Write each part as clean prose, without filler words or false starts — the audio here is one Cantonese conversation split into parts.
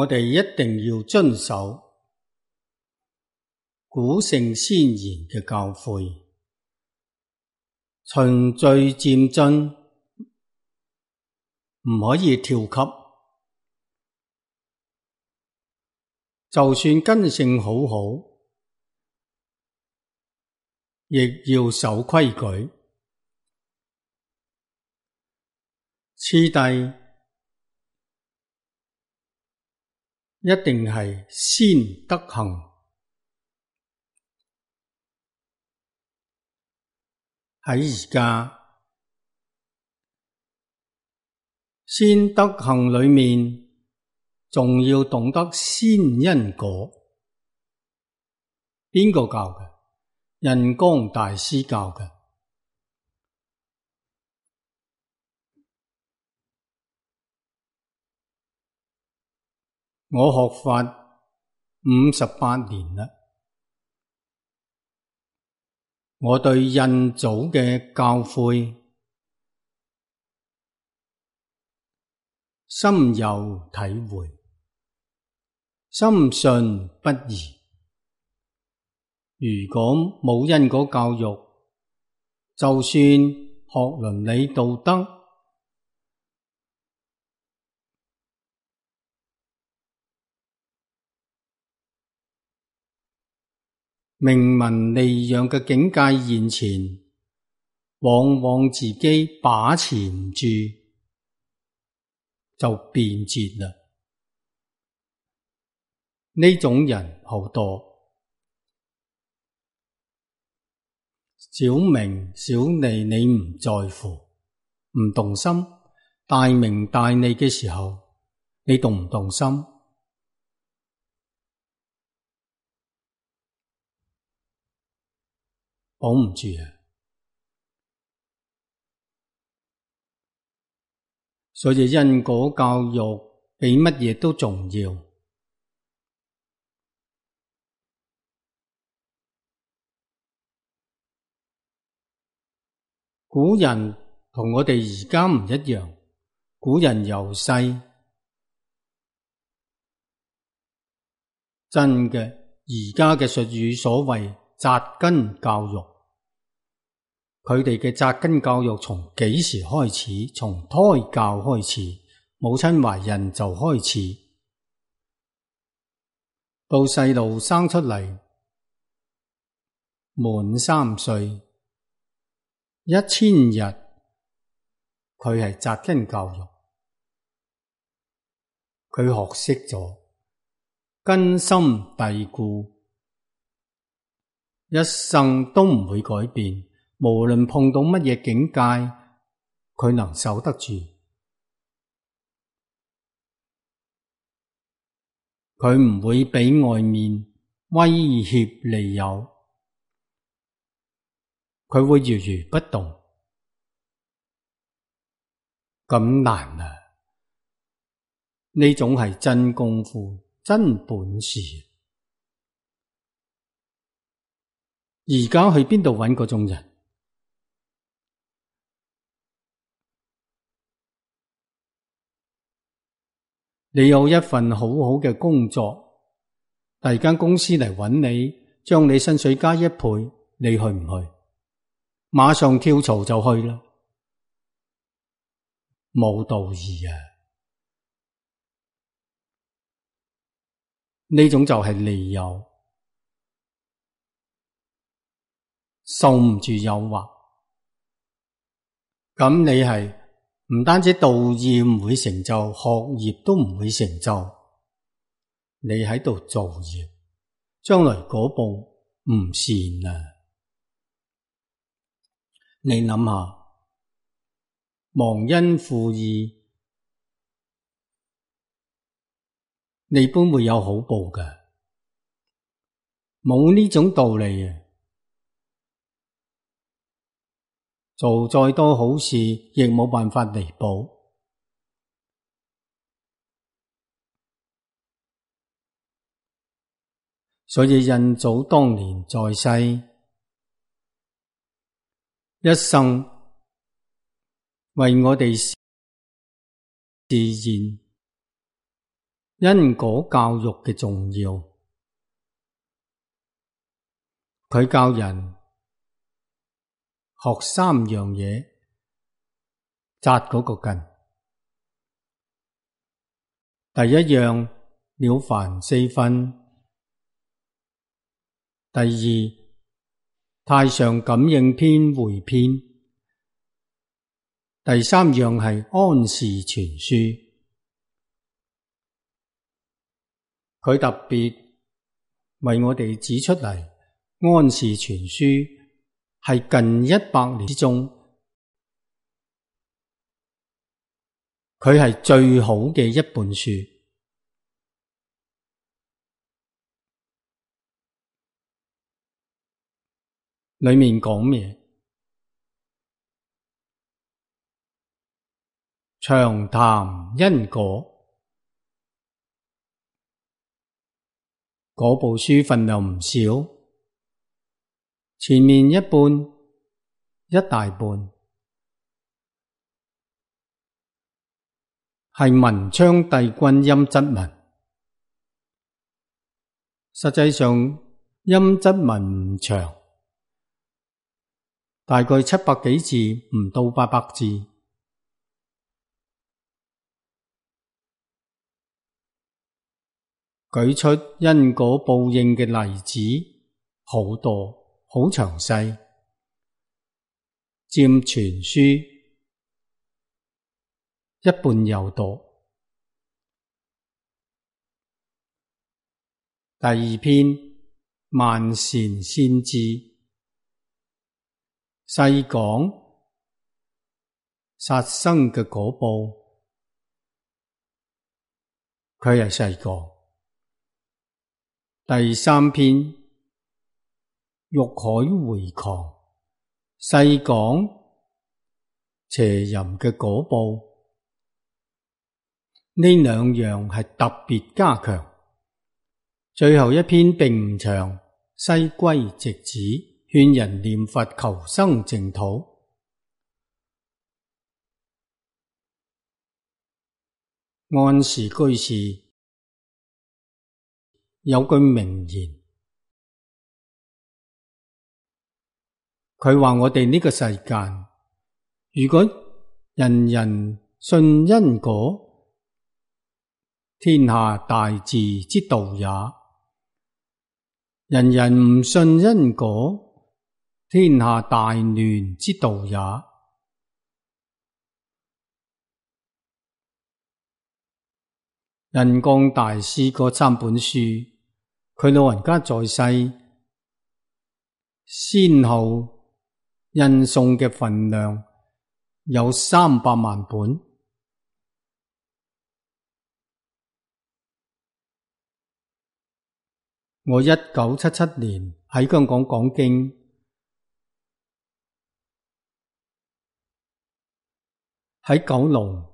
我哋一定要遵守古聖先賢嘅教誨，循序漸進，唔可以跳級。就算根性好好，亦要守規矩。次第一定係先德行。喺而家先德行裏面，仲要懂得先因果。邊個教嘅？印光大師教嘅。我學法58年啦，我對印祖嘅教誨深有體會，深信不疑。如果冇因果教育，就算學倫理道德，明文利養嘅境界現前，往往自己把持唔住，就變節啦。呢種人好多，小名小利你唔在乎，唔動心；大名大利嘅時候，你動唔動心？保唔住啊！所以因果教育比乜嘢都重要。古人同我哋而家唔一樣，古人由細真嘅，而家嘅術語所謂扎根教育，佢哋嘅扎根教育從幾時開始？從胎教開始，母親懷孕就開始，到細路生出嚟滿3歲1000日，佢係扎根教育，佢學識咗，根深蒂固，一生都唔會改變。無論碰到乜嘢境界，佢能守得住。佢唔會俾外面威脅利誘，佢會如如不動。咁難啊！呢種係真功夫，真本事。而家去邊度揾嗰種人？你有一份好好嘅工作，第二間公司嚟揾你，將你薪水加1倍，你去唔去？馬上跳槽就去啦，冇道義啊！呢種就係利誘，受唔住誘惑。咁你係唔單止道義唔會成就，學業都唔會成就，你喺度造業，將來嗰步唔善啊！你諗下，忘恩負義，你本會有好報㗎，冇呢種道理啊！做再多好事，亦冇辦法彌補。所以印祖當年在世，一生為我哋示現因果教育嘅重要。佢教人學3樣嘢，紮嗰個根。第一樣，了凡四訓。第二，太上感應篇回篇。第三樣係安氏全書。佢特別為我哋指出嚟，安氏全書係近100年之中，佢係最好嘅一本書。裏面講咩？長談因果。嗰部書份量唔少，前面一半，一大半係文昌帝君陰質文。實際上陰質文唔長，大概700幾字，唔到800字。舉出因果報應嘅例子好多，好詳細，佔全書一半有多。第二篇，萬善先知，細講殺生嘅果報，佢係細講。第三篇，欲海回狂，細講邪淫嘅果報。呢兩樣係特別加強。最後一篇並唔長，西歸直指，勸人念佛求生淨土。安氏居士有句名言，佢話我哋呢個世間，如果人人信因果，天下大治之道也；人人唔信因果，天下大亂之道也。印光大師嗰3本書，佢老人家在世，先後印送嘅份量有300萬本。我1977年喺香港講經，喺九龍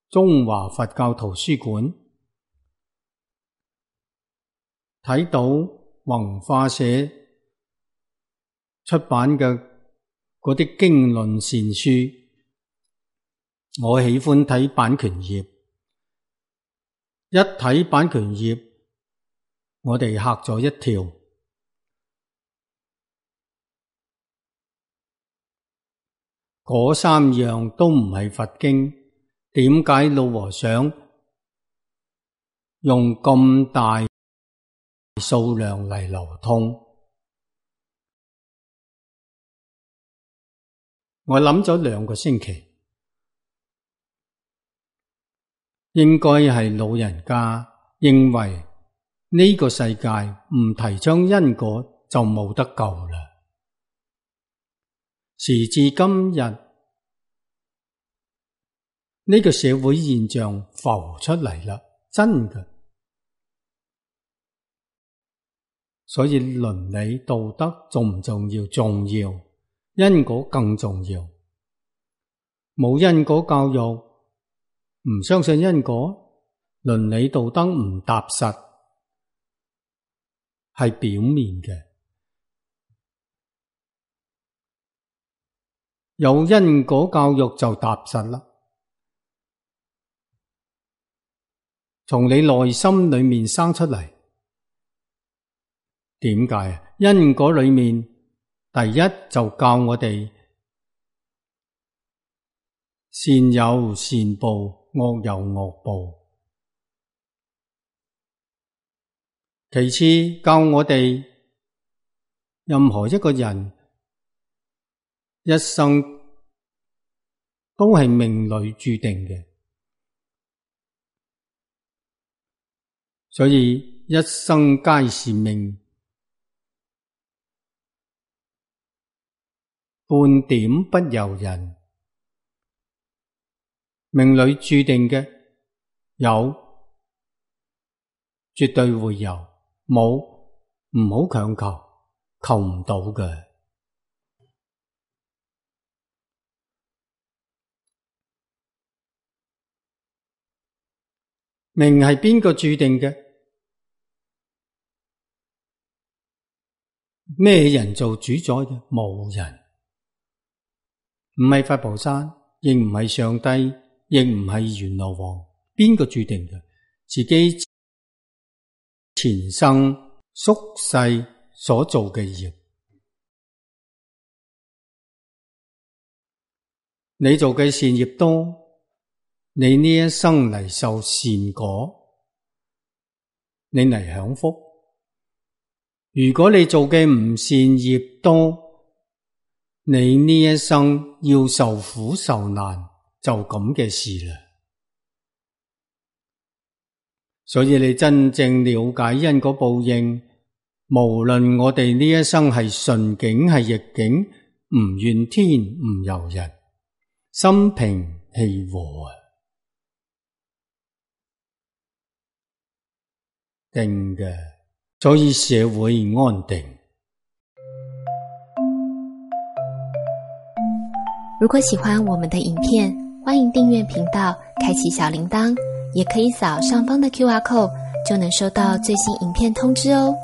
中華佛教圖書館睇到弘化社出版嘅嗰啲經論善書，我喜歡睇版權頁，一睇版權頁，我哋嚇咗一跳。嗰3樣都唔係佛經，點解老和尚用咁大數量嚟流通？我諗咗2個星期，應該係老人家認為呢個世界唔提倡因果就冇得救啦。時至今日，呢個社會現象浮出嚟啦，真嘅。所以倫理道德重唔重要？重要，因果更重要。冇因果教育，唔相信因果，倫理道德唔踏實，係表面嘅。有因果教育就踏實啦。從你內心裏面生出嚟。點解？因果裏面第一就教我哋善有善報，惡有惡報。其次教我哋任何一個人一生都係命裏注定嘅，所以一生皆是命，半點不由人。命裏注定嘅有，絕對會有；冇，唔好強求，求唔到嘅。命係邊個注定嘅？咩人做主宰嘅？冇人，唔係佛菩薩，亦唔係上帝，亦唔係閻羅王。邊個注定嘅？自己前生宿世所做嘅業。你做嘅善業多，你呢一生嚟受善果，你嚟享福。如果你做嘅唔善業多，你呢一生要受苦受難，就咁嘅事啦。所以你真正了解因果報應，無論我哋呢一生係順境係逆境，唔怨天唔尤人，心平氣和啊！定嘅，所以社會安定。如果喜歡我們的影片，歡迎訂閱頻道，開啟小鈴鐺，也可以掃上方的QR code，就能收到最新影片通知哦。